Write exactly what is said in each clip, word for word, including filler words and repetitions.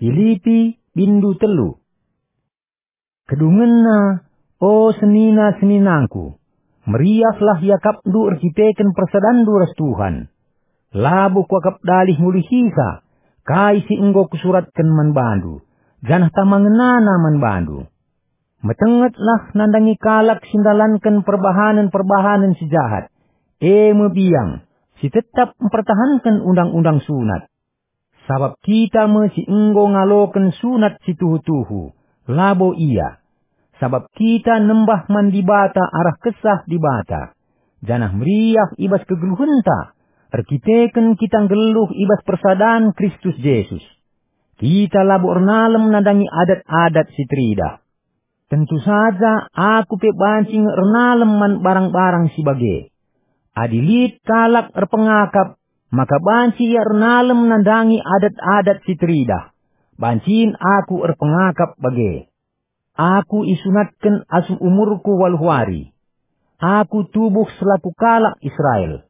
Pilipi, bindu telu. Kedungenna, o senina-seninangku, meriahlah iakapndu erkiteken persadanndu ras Tuhan. Labo kuakap dalih ngulihisa kai si enggo kusuratken man bandu, janah tama ngenana man bandu. Metengetlah nandangi kalak si ndalanken perbahanen-perbahanen si jahat, e me biang, si tetap mpertahanken undang-undang sunat. Sabap kita me si enggo ngaloken sunat si tuhu-tuhu, labo ia. Sabap kita nembah man Dibata arah Kesah Dibata, janah meriah i bas kegeluhenta, erkiteken kita nggeluh i bas persadan Kristus Jesus. Kita labo ernalem nandangi adat-adat si teridah. Tentu saja aku pe banci nge ernalem man barang-barang si bage. Adi lit kalak erpengakap, maka banci ia ernalem nandangi adat-adat si teridah, bancin aku erpengakap bage. Aku isunatken asum umurku waluh wari. Aku tubuh selaku kalak Israel,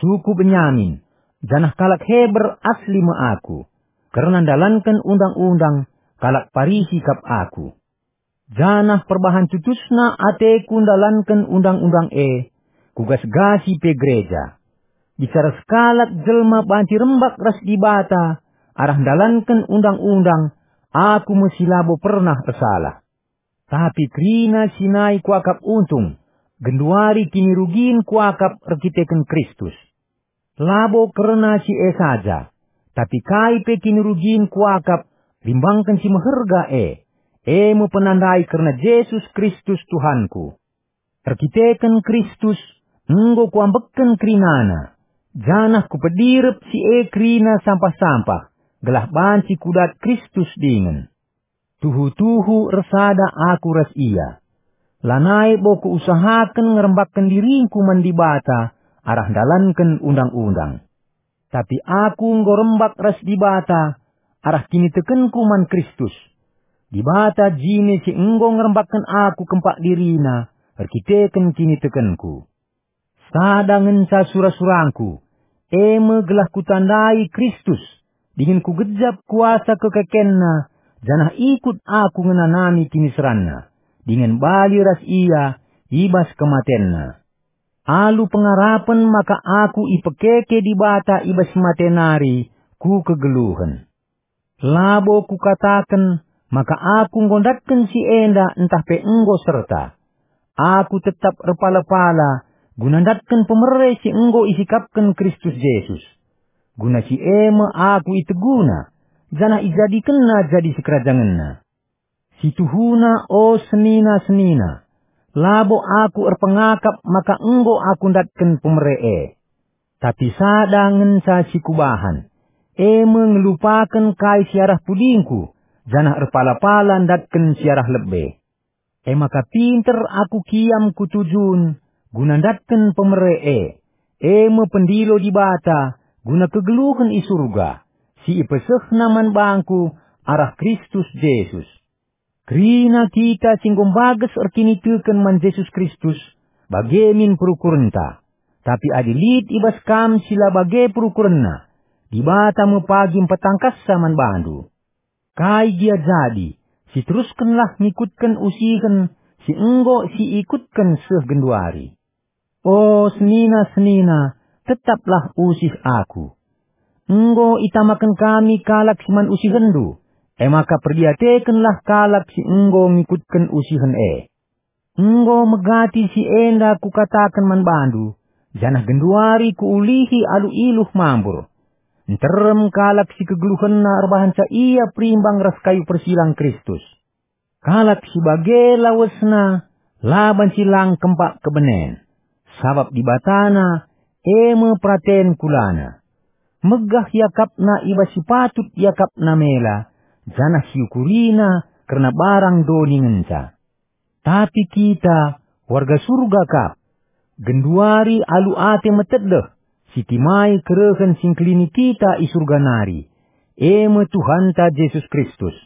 suku Benyamin, janah kalak Heber asli me aku. Kerna ndalanken undang-undang, kalak Parisi kap aku. Janah perbahan tutusna ateku ndalanken undang-undang e, kugasgasi pe gereja. Bicara sekalak jelma banci rembak ras Dibata arah ndalanken undang-undang, aku me si labo pernah ersalah. Tapi kerina si nai kuakap untung, genduari kinirugin kuakap erkiteken Kristus. Labo kerna si e saja, tapi kai pe kinirugin kuakap rimbangken si meherga e, e me penandai kerna Jesus Kristus Tuhanku. Erkiteken Kristus, enggo kuambekken kerinana, janah kupedirep si e kerina sampah-sampah, gelah banci kudat Kristus dingen. Tuhu-tuhu ersada aku ras Ia. Lanai bo kuusahaken ngerembakken diringku man Dibata arah ndalanken undang-undang. Tapi aku enggo rembak ras Dibata arah kinitekenku man Kristus. Dibata jine si enggo ngerembakken aku kempak diriNa erkiteken kinitekenku. Sada ngenca sura-surangku, e me gelah kutandai Kristus, dingen kugejap kuasa kekekenNa, janah ikut aku ngenanami kiniseranNa, dingen bali ras Ia i bas kematenNa. Alu pengarapen maka aku ipekeke Dibata i bas mate nari ku kegeluhen. Labo kukataken maka aku enggo ndatken si enda ntah pe enggo serta. Aku tetap erpala-pala guna ndatken pemere si enggo isikapken Kristus Jesus. Guna si e me aku iteguna, janah ijadikenna jadi sikerajangenna. Situhuna, o senina-senina, labo aku erpengakap maka enggo aku ndatken pemere e. Tapi sada ngenca si kubahan, e me ngelupaken kai si arah pudingku, janah erpala-pala ndatken si arah lebe. E maka pinter aku kiam ku tujun guna ndatken pemere e, e me pendilo Dibata guna kegeluhen i Surga, si ipesehNa man bangku arah Kristus Jesus. Kerina kita si enggo mbages erkiniteken man Jesus Kristus, bage min perukurenta. Tapi adi lit i bas kam si la bage perukurenna, Dibata me pagi mpetangkassa man bandu. Kai gia jadi, siteruskenlah ngikutken usihen si enggo siikutken seh genduari. O senina-senina, tetaplah usih aku. Enggo itamaken kami kalak si man usihenndu, e maka perdiatekenlah kalak si enggo ngikutken usihen e. Enggo megati si enda kukataken man bandu, janah genduari kuulihi alu iluh mambur. Nterem kalak si kegeluhenna erbahanca ia perimbang ras kayu persilang Kristus. Kalak si bage lawesna la banci lang kempak kebenen, sabap Dibatana e me peraten kulana. Megah iakapna i bas si patut iakapna mela, janah siukurina kerna barang doni ngenca. Tapi kita, warga Surga kap, genduari alu ate metedeh, sitimai kerehen si ngkelini kita i Surga nari, e me Tuhanta Jesus Kristus.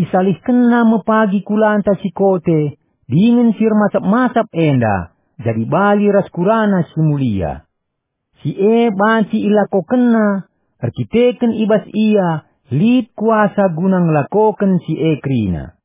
IsalihkenNa me pagi kulanta si kote dingen si ermasap-masap enda jadi bali ras kurana si mulia. Si e banci ilakokenNa erkiteken i bas Ia lit kuasa guna ngelakoken si e kerina.